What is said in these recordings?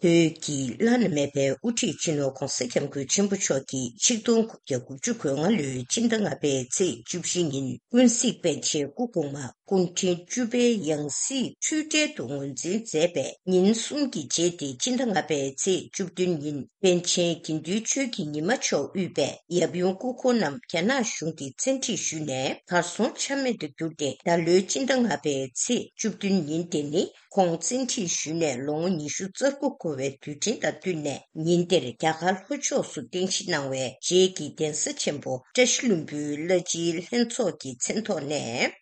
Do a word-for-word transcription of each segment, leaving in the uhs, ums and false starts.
བོད་ཀྱི་བླ་ན་མེད་པའི་དབུ་ཁྲིད་སྤྱི་ནོར་༧གོང་ས་༧སྐྱབས་མགོན་ཆེན་པོ་མཆོག་གིས་ཆིག་སྟོང་དགུ་བརྒྱ་དགུ་བཅུ་གོ་ལྔ་ལོའི་སྤྱི་ཟླ་ལྔ་པའི་ཚེས་བཅུ་བཞི་ཉིན་ཀུན་གཟིགས་པཎ་ཆེན་སྐུ་གོང་མ་སྐུ་ཕྲེང་བཅུ་པའི་ཡང་སྲིད་འཁྲུལ་བྲལ་དུ་ངོས་འཛིན་མཛད་པའི་ཉིན་གསུམ་གྱི་རྗེས་ཏེ་སྤྱི་ཟླ་ལྔ་པའི་ཚེས་བཅུ་བདུན་ཉིན་པཎ་ཆེན་དགེ་འདུན་ཆོས་ཀྱི་ཉི་མ་མཆོག་དབུས་པའི་ཡབ་ཡུམ་སྐུ་འཁོར་རྣམས་རྒྱ་ནག་གཞུང་གིས་བཙན་ཁྲིད་ཞུས་ནས་གར་སོང་ཆ་མེད་དུ་གྱུར་ཏེ། ད་ལོའི་སྤྱི་ཟླ་ལྔ་པའི་ཚེས་བཅུ་བདུན་ཉིན་དེ་ནི་ཁོང་བཙན་ཁྲིད་ཞུས་ནས་ལོ་ངོ་ཉི་ཤུ་རྩ་དགུ་འཁོར་བའི་དུས་དྲན་དང་བསྟུན་ནས། ཉིན་དེར་རྒྱ་གར་ལྷོ་ཕྱོགས་སུ་རྟེན་གཞི་གནང་བའི་རྗེ་གི་གདན་ས་ཆེན་པོ་བཀྲ་ཤིས་ལྷུན་པོའི་བླ་སྤྱིའི་ལྷན་ཚོགས་ཀྱི་མཚན་ཐོག་ནས་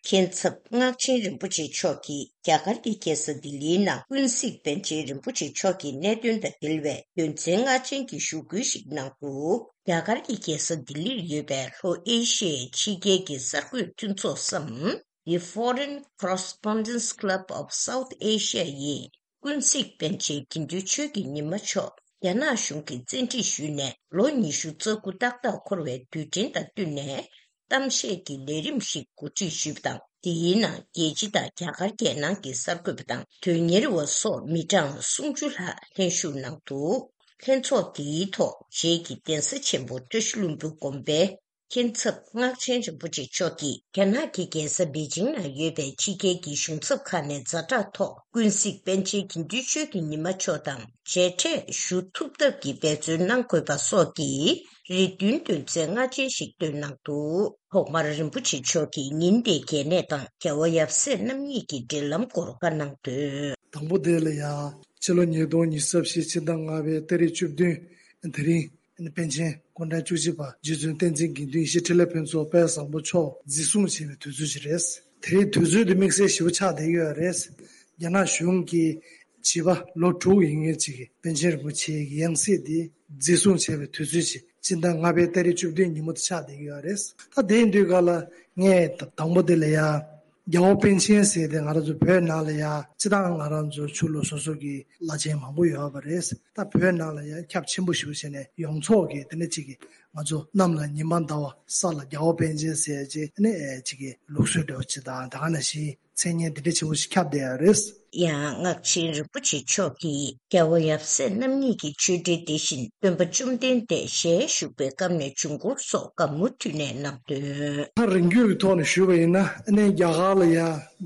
མཁན་ཚབ་སྔགས་ཆེན་རིན་པོ་ཆེ་མཆོག་གིས་རྒྱ་གར་གྱི་རྒྱལ་ས་ལྡི་ལིའི་ནང་ཀུན་གཟིགས་པཎ་ཆེན་རིན་པོ་ཆེ་མཆོག་གི་གནད་དོན་དང་འབྲེལ་བའི་དོན་ཚན་ལྔ་ཅན་གྱི་ཞུ་སྐུལ་ཞིག་གནང་འདུག་རྒྱ་གར་གྱི་རྒྱལ་ས་ལྡི་ལིར་ཡོད་པའི་ལྷོ་ཨེ་ཤི་ཡའི་ཕྱི་རྒྱལ་གྱི་གསར་འགོད་མཐུན་ཚོགས་སམ། The Foreign Correspondence Club of South Asia ཡིས་ཀུན་གཟིགས་པཎ་ཆེན་དགེ་འདུན་ཆོས་ཀྱི་ཉི་མ་མཆོག་རྒྱ་ནག་གཞུང་གིས་བཙན་ཁྲིད་ཞུས་ནས་ལོ་ཉི་ཤུ་རྩ་དགུ་ཏག་ཏག་འཁོར་བའི་དུས་དྲན་དང་བསྟུན་ནས། གཏམ་བཤད་ཀྱི་ལས་རིམ་ཞིག་གོ་སྒྲིག་ཞུས་པ་དང་། དེའི་ནང་རྒྱལ་སྤྱི་དང་རྒྱ་གར་རྒྱལ་ནང་གི་གསར་འགོད་པ་དང་དོན་གཉེར་བ་སོགས་མི་གྲངས་སུམ་ཅུ་ལྷག་ལྷན་ཞུགས་གནང་འདུག་ལྷན་ཚོགས་དེའི་ཐོག་རྗེ་གི་གདན་ས་ཆེན་པོ་བཀྲ་ཤིས་ལྷུན་པོའི་དགོན་པའི་མཁན་ཚབ་སྔགས་ཆེན་རིན་པོ་ཆེ་མཆོག་གིས་རྒྱ་ནག་གི་རྒྱལ་ས་པེ་ཅིང་ན་ཡོད་པའི་ཕྱི་རྒྱལ་གྱི་གཞུང་ཚབ་ཁག་ནས་ཛ་དྲག་ཐོག་ཀུན་གཟིགས་པཎ་ཆེན་དགེ་འདུན་ཆོས་ཀྱི་ཉི་མ་མཆོག་དང་མཇལ་འཕྲད་ཞུ་ཐུབ་ཐབས་ཀྱི་འབད་བརྩོན་གནང་དགོས་པ་སོགས་ཀྱི་རེ་འདུན་དོན་ཚན་ལྔ་ཅན་ཞིག་བཏོན་གནང་འདུག་ཐོག་མར་རིན་པོ་ཆེ་མཆོག་གིས་ཉིན་དེའི་གལ་གནད་དང་རྒྱལ་བ་ཡབ་སྲས་རྣམ་གཉིས་ཀྱི་འབྲེལ་ལམ་སྐོར་བཀའ་གནང་དོན། དང་པོ་དེ་ལ་ཡང་ཕྱི་ལོ་ཉིས་སྟོང་ཉི་ཤུ་རྩ་བཞི་ཕྱི་ཟླ་ལྔ་པའི་ཏ་རིག་བཅུ་བདུན་དེ་རིང་། པཎ་ཆེན་སྐུ་ཕྲེང་བཅུ་གཅིག་པ་རྗེ་བཙུན་བསྟན་འཛིན་དགེ་འདུན་ཡེ་ཤེས་འཕྲིན་ལས་ཕུན་ཚོགས་དཔལ་བཟང་པོ་མཆོག་འཛིན་བཟུང་བྱས་པའི་དུས་ཚོད་ཅིག་རེད། དེ་རིང་དུས་ཚོད་དེ་དམིགས་བསལ་ཞེ་པོ་ཆགས་བསྡད་ཡོད་རེད། རྒྱ་ནག་གཞུང་གིས་བྱིས་པ་ལོ་དྲུག་ཡིན་མཁན་ཅིག་གིས་པཎ་ཆེན་རིན་པོ་ཆེའི་ཡང་སྲིད་དེ་འཛིན་བཟུང་བྱས་པའི་དུས་ཚོད་ཅིག་སྤྱི་ཟླ་ལྔ་པའི་ཏ་རིག་བཅུ་བདུན་ཉིན་མོ་དེ་ཆགས་བསྡད་ཡོད་རེད། ད་དེ་ཡིན་དུས་ག་ལ་ངས་དང་པོ་དེ་ལ་ཡ། རྒྱལ་བ་པཎ་ཆེན་ཟེར་ཏེ་ང་རང་ཚོ་བོད་ནང་ལ་ཡ་སྤྱི་བཏང་ང་རང་ཚོ་ཆོས་ལུགས་སོ་སོ་གི་བླ་ཆེན་མང་པོ་ཡོད་པ་རེད། ད་བོད་ནང་ལ་ཡ་ཁྱབ་ཆེན་པོ་ཞེ་པོ་བྱས་ནས་ཡོངས་རྫོགས་ཀྱི་དེ་འདྲ་ཅིག་གི་ང་ཚོ་གནམ་ལ་ཉི་མ་ཟླ་བ་ས་ལ་རྒྱལ་བ་པཎ་ཆེན་ཟེར་ཅིག་ནས་ཅིག་གི་ལུགས་སྲོལ་འདྲ་བོ་ཅིག་དང་ད་ག་ནང་བཞིན་མཚན་སྙན་དེ་འདྲ་ཆེན་པོ་ཞིག་ཁྱབ་བསྡད་ཡོད་རེད། ཡང་སྔགས་ཆེན་རིན་པོ་ཆེ་མཆོག་གིས་རྒྱལ་བ་ཡབ་སྲས་རྣམ་གཉིས་ཀྱི་ཆོས་འབྲེལ་དེ་བཞིན་སྟོན་པ་བཅོམ་ལྡན་འདས་ཞལ་བཞུགས་པའི་སྐབས་ནས་བྱུང་སྐོར་སོགས་བཀའ་མུ་མཐུད་ནས་གནང་དོན། ད་རིང་བརྒྱུད་ཀྱི་ཐོག་ནས་ཞུས་པ་ཡིན་ན་ཨ་ནི་རྒྱ་གར་ལ་ཡ་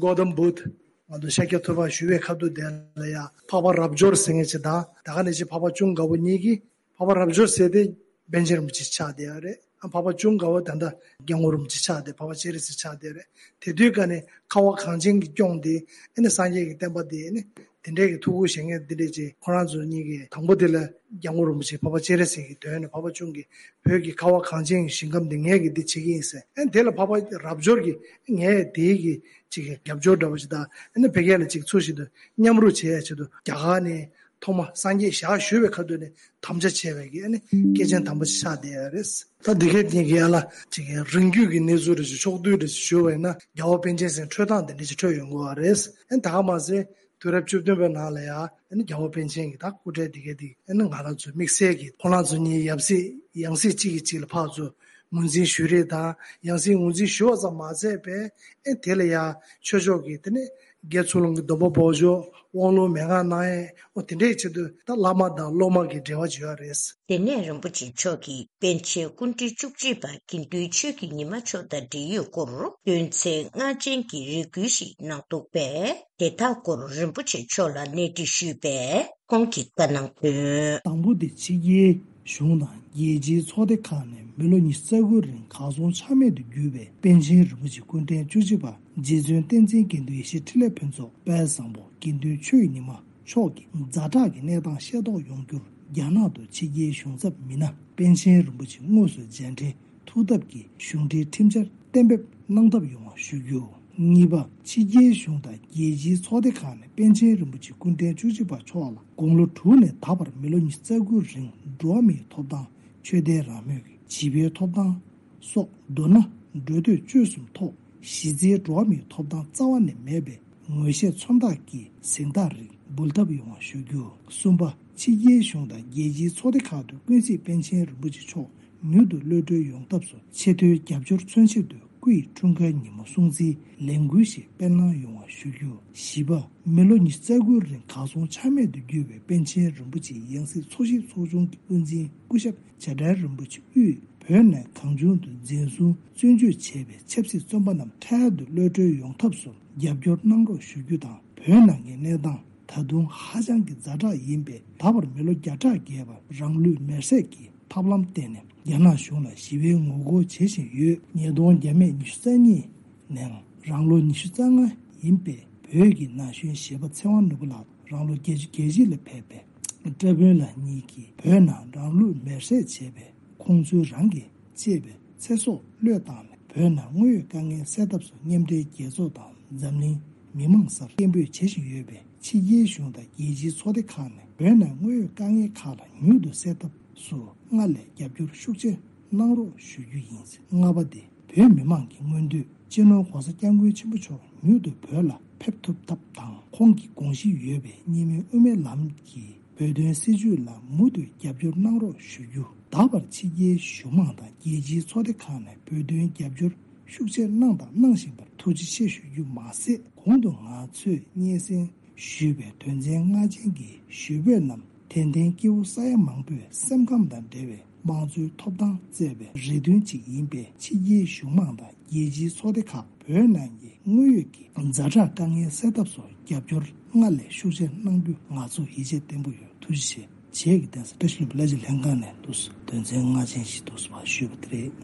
གོ་ཏམ་བུད་ང་ཚོ་ཤཱཀྱ་ཐུབ་པ་ཞུ་བའི་ཁ་ཐུག་དེ་ལ་ཡ་འཕགས་པ་རབ་འབྱོར་ཟེར་མཁན་ཅིག་དང་ད་ག་ནང་བཞིན་འཕགས་པ་ཅུང་དགའ་བོ་གཉིས་ཀྱིས་འཕགས་པ་རབ་འབྱོར་ཟེར་དེ་པཎ་ཆེན་རིན་པོ་ཆེ་ཆགས་བསྡད་ཡོད་རེད། འཕགས་པ་ཅུང་དགའ་བོ་ད་ལྟ་སྐྱབས་མགོན་རིན་པོ་ཆེ་ཆགས་ཏེ་འཕགས་པ་སྤྱན་རས་གཟིགས་ཆགས་བསྡད་རེད། དེ་དུས་ཀ་ནས་ཁ་བ་གངས་ཅན་གྱི་སྐྱོང་དེ་ཨ་ནི་སངས་རྒྱས་ཀྱི་བསྟན་པ་དེ་ཨ་ནི་དེ་འདྲའི་གི་ཐུགས་ཁུར་བཞེས་མཁན་འདི་འདྲས་ཅིག་ཁོ་རང་ཚོ་གཉིས་ཀྱིས་དང་པོ་དེ་ལ་སྐྱབས་མགོན་རིན་པོ་ཆེ་འཕགས་པ་སྤྱན་རས་གཟིགས་ཀྱི་དོན་ནས་འཕགས་པ་ཅུང་གིས་བོད་ཀྱི་ཁ་བ་གངས་ཅན་གྱི་ཞིང་ཁམས་འདི་ངས་ཀྱིས་འདི་བྱེད་ཀྱི་ཡིན་ཟེར། ཨ་ནི་དེ་ལ་འཕགས་པ་རབ་འབྱོར་གྱིས་ངས་དེའི་གི་ཅིག་གི་རྒྱབ་སྐྱོར་འདྲ་བོ་ཞིག་དང་ཨ་ནི་བོད་སྐད་ལ་ཅིག་ཚུར་ཞིག་ཏུ་མཉམ་རུབ་བྱེད་ཡ་ཆེད་དུ་རྒྱ་གར་ནས། ཐོག་མ་སངས་རྒྱས་ཞལ་བཞུགས་པའི་ཁ་ཐུག་ནས་དམ་བཅའ་བྱས་པའི་གི་ཨ་ནི་སྐྱེས་ཆེན་དམ་པ་ཞིག་ཆགས་བསྡད་ཡོད་རེད། ད་འདི་གའི་ཉིན་གྱི་ཡ་ལ་ཅིག་གི་རིང་བརྒྱུད་ཀྱི་གནས་ཚུལ་རེ་ཞིག་ཕྱོགས་བསྡུས་རེ་ཞིག་ཞུ་བ་ཡིན་ན་རྒྱལ་བ་པཎ་ཆེན་ཟེར་འཕྲོས་སྟངས་དེ་འདྲ་ཞིག་འཕྲོས་ཡོང་གི་ཡོད་རེད། ཨ་ནི་ད་ག་མ་ཟད་དུས་རབས་བཅུ་བདུན་པའི་ནང་ལ་ཡ་ཨ་ནི་རྒྱལ་བ་པཎ་ཆེན་གྱི་ད་སྐུ་ཕྲེང་འདི་གའི་འདི་ཨ་ནི་ང་རང་ཚོའི་དམིགས་བསལ་གྱི་ཁོང་རང་ཚོ་གཉིས་ཡབ་སྲས་ཡང་སྲིད་གཅིག་གིས་གཅིག་ལ་ཕར་ཚུར་ངོས་འཛིན་ཞུ་རེས་དང་ཡང་སྲིད་ངོས་འཛིན་ཞུ་བ་ཙམ་མ་ཟད་པའི་ཨེ་དེ་ལ་ཡ་ཆོས་ཕྱོགས་ཀྱི་དེ་ནས་དགེ་ཚུལ་སློང་གི་སྡོམ་པ་འབོགས་ཆོག་དབང་ལུང་མན་ངག་གནང་ཡས་འོ་དེ་འདྲའི་ཆེད་དུ་ད་བླ་མ་དང་སློབ་མ་གི་འབྲེལ་བ་ཅིག་ཡོད་རེད། དེ་ནས་རིན་པོ་ཆེ་མཆོག་གིས་པཎ་ཆེན་སྐུ་ཕྲེང་བཅུ་གཅིག་པ་དགེ་འདུན་ཆོས་ཀྱི་ཉི་མ་མཆོག་དང་འབྲེལ་ཡོད་སྐོར་དོན་ཚན་ལྔ་ཅན་གྱི་རེ་སྐུལ་ཞིག་གནང་འདུག་པས་དེ་དག་སྐོར་རིན་པོ་ཆེ་མཆོག་ལ་གནས་འདྲི་ཞུས་པས། ཁོང་གིས་བཀའ་གནང་དོན། དང་པོ་དེ་ཕྱི་རྒྱལ་གཞུང་དང་རྒྱལ་སྤྱིའི་ཚོགས་སྡེ་ཁག་ནས་མི་ལོ་ཉི་ཤུ་རྩ་དགུ་རིང་གར་སོང་ཆ་མེད་དུ་གྱུར་བའི་པཎ་ཆེན་རིན་པོ་ཆེ་སྐུ་ཕྲེང་བཅུ་གཅིག་པ་རྗེ་བཙུན་བསྟན་འཛིན་དགེ་འདུན་ཡེ་ཤེས་འཕྲིན་ལས་ཕུན་ཚོགས་དཔལ་བཟང་པོ་དགེ་འདུན་ཆོས་ཀྱི་ཉི་མ་མཆོག་གི་ཛ་དྲག་གི་གནས་སྟངས་ཤེས་རྟོགས་ཡོང་རྒྱུར་རྒྱ་ནག་ཏུ་ཕྱི་རྒྱལ་གཞུང་ཚབ་མི་སྣ་པཎ་ཆེན་རིན་པོ་ཆེ་དངོས་སུ་མཇལ་འཕྲད་ཐུགས་ཐབས་ཀྱིས་གཞུང་འབྲེལ་ཁྲིམས་འཆར་གཏན་འབེབས་གནང་ཐབས་ཡོང་བ་ཞུ་རྒྱུ། གཉིས་པ། ཕྱི་རྒྱལ་གཞུང་དང་རྒྱལ་སྤྱིའི་ཚོགས་སྡེ་ཁག་ནས་པཎ་ཆེན་རིན་པོ་ཆེ་སྐུ་ཕྲེང་བཅུ་གཅིག་པ་མཆོག་ལ་དགུང་ལོ་དྲུག་ནས་ད་བར་མི་ལོ་ཉི་ཤུ་རྩ་དགུ་རིང་འགྲོ་བ་མིའི་ཐོབ་ཐང་། ཆོས་དད་རང་མོས་ཀྱི་བྱིས་པའི་ཐོབ་ཐང་སོགས་མདོར་ན་འགྲོ་སྡོད་སྤྱོད་གསུམ་ཐོག་གཞི་རྩའི་འགྲོ་བ་མིའི་ཐོབ་ཐང་རྩ་བ་ནས་མེད་པའི་ངོས་བཞེས་མཚོན་རྟགས་ཀྱི་གཟེངས་རྟགས་རིགས་འབུལ་ཐབས་ཡོང་བ་ཞུ་རྒྱུ། གསུམ་པ། ཕྱི་རྒྱལ་གཞུང་དང་རྒྱལ་སྤྱིའི་ཚོགས་སྡེ་ཁག་ཏུ་ཀུན་གཟིགས་པཎ་ཆེན་རིན་པོ་ཆེ་མཆོག་མྱུར་དུ་གློད་གྲོལ་ཡོང་ཐབས་སུ་ཆེས་མཐོའི་རྒྱབ་སྐྱོར་མཚོན་ཆེད་དུ་ སྐུ་ཡི་འཁྲུངས་སྐར་ཉིན་མོ་སྲུང་བརྩིའི་ལས་འགུལ་ཞིག་སྤེལ་གནང་ཡོང་བ་ཞུ་རྒྱུ། བཞི་པ། མི་ལོ་ཉི་ཤུ་རྩ་དགུའི་རིང་གར་སོང་ཆ་མེད་དུ་གྱུར་བའི་པཎ་ཆེན་རིན་པོ་ཆེའི་ཡང་སྲིད་འཚོ་གཞིས་ཚོགས་ཆུང་གི་དབུ་འཛིན་སྐུ་ཞབས་བྱ་བྲལ་རིན་པོ་ཆེ་དབུས་བོད་ནང་གང་བྱུང་དུ་འཛིན་བཟུང་བཙོན་འཇུག་བྱས་པའི་ཆབ་སྲིད་བཙོན་པ་རྣམས་འཕྲལ་དུ་གློད་གྲོལ་ཡོང་ཐབས་སུ་རྒྱབ་སྐྱོར་གནང་རོགས་ཞུ་རྒྱུ་དང་། བོད་ནང་གི་གནས་སྟངས་ད་དུང་ཧ་ཅང་གི་ཛ་དྲག་ཡིན་པས། ད་བར་མི་ལོ་བརྒྱ་ཕྲག་བརྒལ་བར་རང་ལུས་མེར་སྲེག་གི་ཐབས་ལམ་བརྟེན་ནས་རྒྱ་ནག་གཞུང་ལ་ཞི་བའི་ངོ་རྒོལ་བྱེད་བཞིན་ཡོད། ཉིས་སྟོང་བརྒྱ་མེད་ཉི་ཤུ་རྩ་གཉིས་ནས་རང་ལོ་ཉི་ཤུ་རྩ་ལྔ་ཡིན་པའི་བོད་ཀྱི་ན་གཞོན་གཞས་པ་ཚེ་དབང་ནོར་བུ་ལགས་རང་ལོ་བརྒྱད་ཅུ་གྱ་བཞི་ལ་ཕེབས་པའི་བཀྲ་དཔོན་ལགས་གཉིས་ཀྱིས་བོད་ནང་རང་ལུས་མེར་སྲེག་བྱས་པའི་ཁོང་ཚོའི་རང་གི་གཅེས་པའི་ཚེ་སྲོག་བློས་བཏང་ནས། བོད་ནང་དངོས་ཡོད་དཀའ་ངལ་སེལ་ཐབས་སུ་མཉམ་འབྲེལ་རྒྱལ་ཚོགས་དང་འཛམ་གླིང་མི་མང་སར་སྐད་འབོད་བྱེད་བཞིན་ཡོད་པས། ཕྱི་རྒྱལ་གཞུང་དང་རྒྱལ་སྤྱིའི་ཚོགས་སྡེ་ཁག་ནས་བོད་ནང་དངོས་ཡོད་དཀའ་ངལ་ཁག་ལ་མྱུར་དུ་སེལ་ཐབས་སུ་སྔར་ལས་རྒྱབ་སྐྱོར་ཤུགས་ཆེ་གནང་རོགས་ཞུ་རྒྱུ་ཡིན། ལྔ་པ་དེ། བོད་མི་མང་གི་མངོན་འདོད། སྤྱི་ནོར་༸གོང་ས་༸སྐྱབས་མགོན་ཆེན་པོ་མཆོག་མྱུར་དུ་བོད་ལ་ཕེབས་ཐུབ་ཐབས་དང་། ཁོང་གི་དགོངས་གཞི་ཡོད་པའི་གཉིས་སྨན་དབུ་མའི་ལམ་གྱི་བོད་དོན་སྲིད་བྱུས་ལ་མུ་མཐུད་རྒྱབ་སྐྱོར་གནང་རོགས་ཞུ་རྒྱུ། ད་བར་ཕྱི་རྒྱལ་གཞུང་མང་དང་རྒྱལ་སྤྱིའི་ཚོགས་སྡེ་ཁག་ནས་བོད་དོན་རྒྱབ་སྐྱོར་ཤུགས་ཆེ་གནང་དང་གནང་བཞིན་པར་ཐུགས་རྗེ་ཆེ་ཞུ་རྒྱུ་མ་ཟད། གོང་དུ་ང་ཚོས་སྙན་སེང་ཞུས་པའི་དོན་ཚན་ལྔ་ཅན་གྱི་ཞུ་འབོད་རྣམས་ཏན་ཏན་སྐྱེ་བོ་ས་ཡ་མང་པོའི་སེམས་ཁམས་དང་འབྲེལ་བའི་དམངས་གཙོའི་ཐོབ་ཐང་བརྩད་པའི་རེ་འདུན་ཅིག་ཡིན་པས། ཕྱི་རྒྱལ་གཞུང་མང་དང་རྒྱལ་སྤྱིའི་ཚོགས་སྡེ་ཁག་བོད་ནང་གི་དངོས་ཡོད་ཀྱི་ཛ་དྲག་དཀའ་ངལ་སེལ་ཐབས་སུ་རྒྱབ་སྐྱོར་སྔར་ལས་ཤུགས་ཆེ་གནང་རྒྱུ་ང་ཚོ་ཡིད་ཆེས་བརྟན་པོ་ཡོད། ཐུགས་རྗེ་ཆེ། བྱས་ཀྱི་བསྟན་ས་བཀྲ་ཤིས་ལྷུན་པོ་ལས་བྱེད་ལྷན་ཁང་ནས་འདུག་སེ་དོན་ཚན་ལྔ་ཅན་ཞིག་འདུག་སེ་ཕར་ཞུས་པ་དེ་རེད།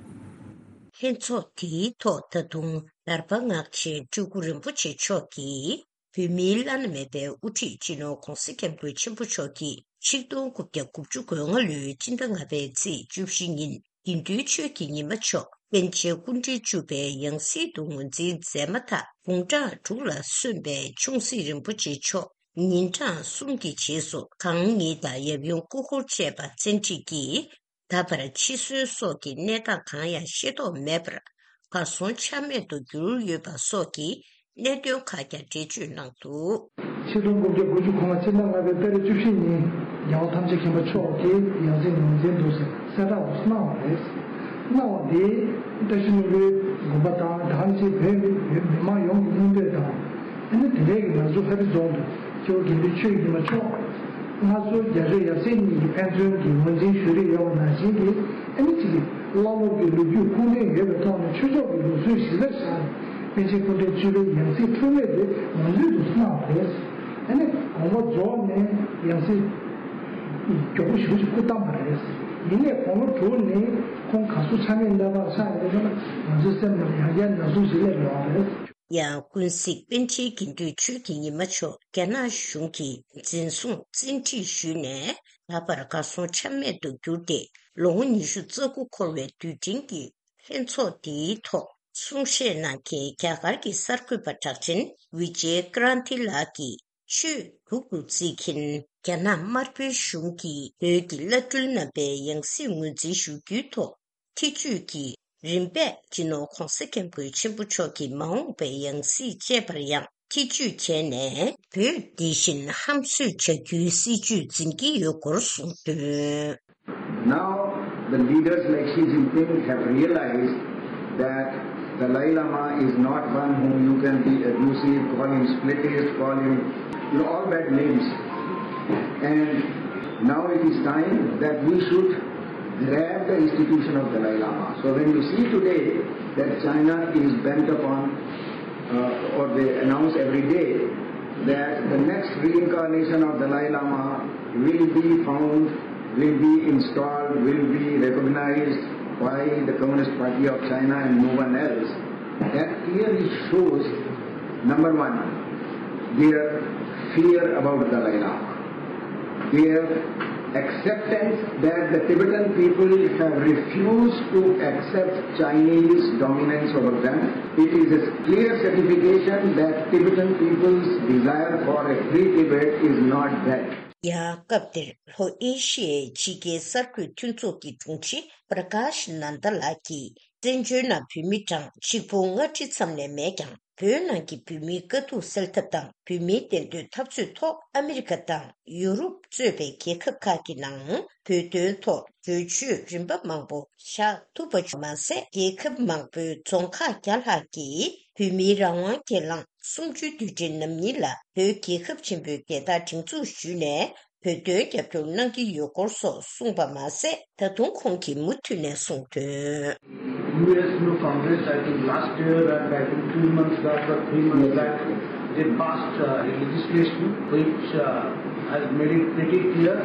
ལྷན་ཚོགས་དེའི་ཐོག་ད་དུང་དར་པ་སྔགས་ཆེན་སྤྲུལ་སྐུ་རིན་པོ་ཆེ་མཆོག་གིས་བོད་མིའི་བླ་ན་མེད་པའི་དབུ་ཁྲིད་སྤྱི་ནོར་༸གོང་ས་༸སྐྱབས་མགོན་ཆེན་པོ་མཆོག་གིས་ཆིག་སྟོང་དགུ་བརྒྱ་དགུ་བཅུ་གོ་ལྔ་ལོའི་སྤྱི་ཟླ་ལྔ་པའི་ཚེས་བཅུ་བཞི་ཉིན་དགེ་འདུན་ཆོས་ཀྱི་ཉི་མ་མཆོག་པཎ་ཆེན་སྐུ་ཕྲེང་བཅུ་པའི་ཡང་སྲིད་དུ་ངོས་འཛིན་མཛད་མ་ཐག་དགུང་གྲངས་དྲུག་ལ་སོན་པའི་ཆུང་སྲིད་རིན་པོ་ཆེ་མཆོག་ཉིན་གྲངས་གསུམ་གྱི་རྗེས་སུ་གང་ཉིད་དང་ཡབ་ཡུམ་སྐུ་འཁོར་བཅས་པ་བཙན་ཁྲིད་ཀྱིས་ད་བར་འཆི་གསོན་སོགས་ཀྱི་གནས་སྟངས་གང་ཡང་ཤེས་རྟོགས་མེད་པར་གར་སོང་ཆ་མེད་དུ་གྱུར་ཡོད་པ་སོགས་ཀྱི་གནད་དོན་ཁག་ཀྱང་འགྲེལ་བརྗོད་གནང་འདུག། ཆིག་སྟོང་དགུ་བརྒྱ་དགུ་བཅུ་གོ་ལྔ་ཕྱི་ཟླ་ལྔ་པའི་ཏ་རིག་བཅུ་བཞི་ཉིན་རྒྱལ་བ་ཐམས་ཅད་མཁྱེན་པ་མཆོག་གིས་ཡང་སྲིད་ངོས་འཛིན་འདུག་ཟེར་གསལ་བསྒྲགས་འདུག་གནང་བ་རེད། གནང་བ་འདིས་བཀྲ་ཤིས་ལྷུན་པོའི་དགོངས་པ་དང་། ད་ག་ནང་བཞིན་བོད་མི་མང་ཡོངས་ཀྱི་མངོན་འདོད་དང་། ཨ་ནི་དེ་འབྲེལ་གྱི་ང་ཚོ་ལྷ་རི་རྫོང་དུ་སྐྱེ་བོ་དགེ་འདུན་ཆོས་ཀྱི་ཉི་མ་མཆོག་སྔ་སོར་རྒྱ་བོད་ཡབ་སྲས་གཉིས་ཀྱིས་ཕན་ཚུན་གྱི་ངོས་འཛིན་ཞུ་གི་ཡོད་པ་ནང་བཞིན་གྱི། ཨ་ནི་གཅིག་གིས་བླ་སློབ་ཀྱི་ལོ་རྒྱུས་ཁུངས་ལྡན་ཡོད་པའི་ཐོག་ནས་ཆོས་ཕྱོགས་ཀྱི་ལུགས་སྲོལ་གཞི་རྩར་བཞག་ནས་པཎ་ཆེན་སྐུ་ཕྲེང་བཅུ་པའི་ཡང་སྲིད་འཁྲུངས་སྐར་དེ་ངོས་འཛིན་དུ་གནང་བ་རེད། ཨ་ནི་དགོངས་པ་རྫོགས་ནས་ཡང་སྲིད་མགྱོགས་པོ་ཞེ་པོ་ཅིག་སྐུ་བལྟམས་པ་རེད། ཡིན་ནའི་དགུང་ལོ་དྲུག་ནས་ཁོང་ག་ཟུག་ཆ་མེད་གནས་སྟངས་ཆགས་ཡོད་པ་ན་ང་ཚོའི་སེམས་ནང་ཡང་བསྐྱར་ན་ཟུག་ཞིག་སླེབས་ཡོང་བ་རེད། ཡང་ཀུན་གཟིགས་པཎ་ཆེན་དགེ་འདུན་ཆོས་ཀྱི་ཉི་མ་མཆོག་རྒྱ་ནག་གཞུང་གིས་འཛིན་བཟུང་བཙན་ཁྲིད་ཞུས་ནས་ད་བར་གར་སོང་ཆ་མེད་དུ་གྱུར་ཏེ། ལོ་ངོ་ཉི་ཤུ་རྩ་དགུ་འཁོར་བའི་དུས་དྲན་གྱི་ལྷན་ཚོགས་འདིའི་ཐོག་གསུང་བཤད་གནང་མཁན་རྒྱ་གར་གྱི་གསར་འགོད་པ་གྲགས་ཅན་ཝི་ཇེ་ཀྲ་ན་ཏི་ལགས་ཀྱིས། ཆོས་སྡུག་ཏུ་བརྩི་མཁན་རྒྱ་ནག་དམར་པོའི་གཞུང་གིས་བོད་ཀྱི་བླ་སྤྲུལ་རྣམ་པའི་ཡང་སྲིད་ངོས་འཛིན་ཞུ་རྒྱུའི་ཐོག་ཐེ་བྱུས་ཀྱིས་རིམ་པས་སྤྱི་ནོར་༸གོང་ས་༸སྐྱབས་མགོན་ཆེན་པོ་མཆོག་གི་མ་འོངས་པའི་ཡང་སྲིད་བཅས་པར་ཡང་ཐེ་བྱུས་བྱས་ནས། བོད་འདི་བཞིན་ཧམ་བཟོས་བྱ་རྒྱུའི་སྲིད་བྱུས་འཛིན་གྱི་ཡོད་སྐོར་གསུངས་དོན། Now, the leaders like Xi Jinping have realized that Dalai Lama is not one whom you can be abusive, call him splitist, call him, you know, all bad names. And now it is time that we should grab the institution of Dalai Lama. So when you see today that China is bent upon, uh, or they announce every day that the next reincarnation of Dalai Lama will be found, will be installed, will be recognized by the Communist Party of China and no one else, that clearly shows, number one, their fear about Dalai Lama, their acceptance that the Tibetan people have refused to accept Chinese dominance over them. It is a clear certification that Tibetan people's desire for a free Tibet is not dead. ཡང་སྐབས་དེར་ལྷོ་ཨེ་ཤི་ཡའི་ཕྱི་རྒྱལ་གསར་འགོད་མཐུན་ཚོགས་ཀྱི་དྲུང་ཆེ་པྲ་ཀཱཤ་ནན་ད་ལགས་ཀྱིས། བཙན་བྱོལ་ནང་བོད་མི་གྲངས་གཅིག་པུ་ལྔ་ཁྲི་ཙམ་ལས་མེད་ཀྱང་ བོད་ནང་གི་བོད་མིའི་དཀའ་སྡུག་སེལ་ཐབས་དང་། བོད་མིའི་བདེན་དོན་འཐབ་རྩོད་ཐོག་ཨ་མི་རི་ཀ་དང་ཡུ་རོབ་གཙོས་པའི་རྒྱལ་ཁབ་ཁག་གི་ནང་བོད་དོན་ཐོག་གྲོས་ཆོད་རིམ་པ་མང་པོ་བཞག་ཐུབ་པ་བྱུང་མ་ཟད། རྒྱལ་ཁབ་མང་པོའི་རྫོང་ཁག་བརྒྱ་ལྷག་གིས་བོད་མིའི་རང་དབང་སྒེར་ལངས་གསུམ་བཅུའི་དུས་དྲན་ནམ་ཉིན་ལ་བོད་རྒྱལ་ཁབ་ཆེན་པོའི་རྒྱལ་དར་སྒྲེང་འཛུགས་ཞུས་ནས། བོད་དོན་རྒྱབ་སྐྱོར་གནང་གི་ཡོད་སྐོར་སོགས་གསུངས་པ་མ་ཟད། ད་དུང་ཁོང་གིས་མུ་མཐུད་ནས་གསུངས་དོན། U S no Congress, I think last year and I think two months back or three months back, they passed uh, a legislation which uh, has made it pretty clear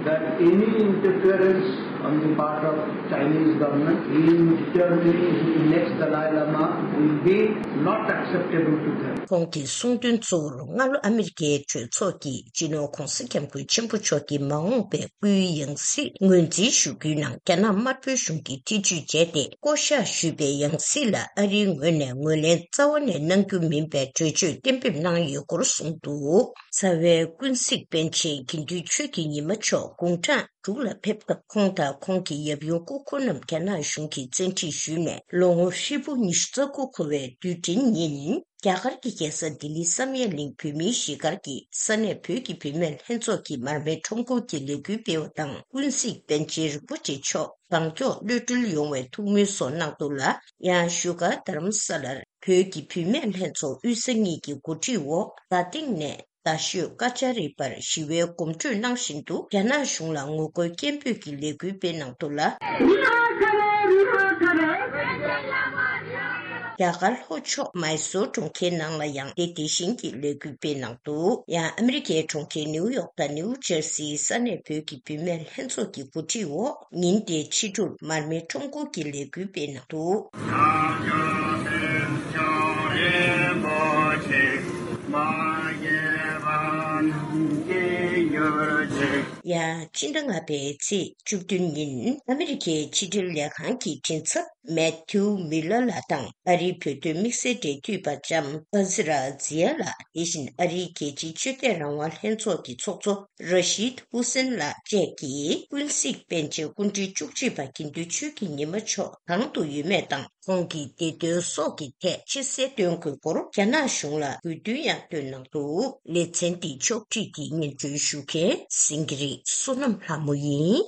that any interference on the part of Chinese government in determining the next Dalai Lama will be not acceptable to them. ཁོང་གིས་གསུངས་དོན་གཙོ་བོར་སྔ་ལོ་ཨ་མི་རི་ཀའི་གྲོས་ཚོགས་ཀྱི་སྤྱི་ནོར་ྋགོང་ས་ྋསྐྱབས་མགོན་ཆེན་པོ་མཆོག་གི་མ་འོངས་པའི་སྐུའི་ཡང་སྲིད་ངོས་འཛིན་ཞུ་རྒྱུའི་ནང་རྒྱ་ནག་དམར་པོའི་གཞུང་གིས་ཐེ་བྱུས་བྱས་ཏེ། བསྐོ་གཞག་ཞུས་པའི་ཡང་སྲིད་ལ་ཨ་རིའི་ངོས་ནས་ངོས་ལེན་རྩ་བ་ནས་གནང་རྒྱུ་མིན་པའི་གྲོས་ཆོད་གཏན་འབེབས་གནང་ཡོད་སྐོར་གསུངས་འདུག་རྩ་བའི་ཀུན་གཟིགས་པཎ་ཆེན་དགེ་འདུན་ཆོས་ཀྱི་ཉི་མ་མཆོག་དགུང་གྲངས་དྲུག་ལ་ཕེབས་སྐབས། ཁོང་དང་ཁོང་གི་ཡབ་ཡུམ་སྐུ་འཁོར་རྣམས་རྒྱ་ནག་གཞུང་གིས་བཙན་ཁྲིད་ཞུས་ནས། ལོ་ངོ་ཧྲིལ་པོ་ཉི་ཤུ་རྩ་དགུ་འཁོར་བའི་དུས་དྲན་ཉིན། རྒྱ་གར་གྱི་རྒྱལ་ས་ལྡི་ལི་བསམ་ཡས་གླིང་བོད་མིའི་གཞིས་སྒར་གྱི་ས་གནས་བོད་ཀྱི་བུད་མེད་ལྷན་ཚོགས་ཀྱི་མར་མེ་ཁྲོམ་སྐོར་གྱི་ལས་འགུལ་སྤེལ་བ་དང་། ཀུན་གཟིགས་པཎ་ཆེན་རིན་པོ་ཆེ་མཆོག་གང་མགྱོགས་གློད་གྲོལ་ཡོང་བའི་ཐུགས་སྨོན་སོགས་གནང་འདུག་ལ། ཡང་བཞུགས་སྒར་རྡ་རམ་ས་ལར་བོད་ཀྱི་བུད་མེད་ལྷན་ཚོགས་དབུས་ས་གཉིས་ཀྱི་འགོ་ཁྲིད་འོག་རྡ་སྟེང་ནས་རྡ་ཤོད་ཀ་ཅ་རི་བར་ཞི་བའི་གོམ་བགྲོད་གནང་བཞིན་དུ། རྒྱ་ནག་གཞུང་ལ་ངོ་རྒོལ་སྐད་འབོད་ཀྱི་ལས་འགུལ་སྤེལ་གནང་འདུག་ལ། རྒྱ་གར་ལྷོ་ཕྱོགས་མཱི་སོར་གྲོང་ཁྱེར་ནང་ལ་ཡང་དེ་དེ་བཞིན་གྱི་ལས་འགུལ་སྤེལ་གནང་འདུག་ཡང་ཨ་མི་རི་ཀའི་གྲོང་ཁྱེར་ནིའུ་ཡོག་དང་ནིའུ་ཇར་སིའི་ས་གནས་བོད་ཀྱི་བུད་མེད་ལྷན་ཚོགས་ཀྱི་འགོ་ཁྲིད་འོག་ཉིན་དེའི་ཕྱི་དྲོར་མར་མེ་ཁྲོམ་སྐོར་གྱི་ལས་འགུལ་སྤེལ་གནང་འདུག་ཡང་སྤྱི་ཟླ་ལྔ་པའི་ཚེས་བཅུ་བདུན་ཉིན་ཨ་མི་རི་ཀའི་ཕྱི་དྲིལ་ལས་ཁང་གི་མགྲིན་ཚབ་མེ་ཐིའུ་མི་ལར་ལགས་དང་། ཨ་རིའི་བོད་དོན་དམིགས་བསལ་འབྲེལ་མཐུད་པ་ལྕམ་ཨ་ཛི་ར་ཛི་ཡ་ལགས། དེ་བཞིན་ཨ་རིའི་རྒྱལ་སྤྱིའི་ཆོས་དད་རང་དབང་ལྷན་ཚོགས་ཀྱི་ཚོགས་གཙོ་ར་ཤིད་ཧུ་སེན་ལགས་བཅས་ཀྱིས་ཀུན་གཟིགས་པཎ་ཆེན་སྐུ་ཕྲེང་བཅུ་གཅིག་པ་དགེ་འདུན་ཆོས་ཀྱི་ཉི་མ་མཆོག་གང་དུ་ཡོད་མེད་དང་། ཁོང་གི་བདེ་དོན་སོགས་ཀྱི་ཐད་ཕྱི་གསལ་སྟོན་དགོས་སྐོར་རྒྱ་ནག་གཞུང་ལ་དགོས་འདུན་ཡང་བཏོན་གནང་འདུག་ལེ་ཚན་འདི་ཕྱོགས་བསྒྲིགས་ཀྱིས་སྙན་སྒྲོན་ཞུ་མཁན་སེང་གེ་རི་བསོད་ནམས་ལྷ་མོ་ཡིན།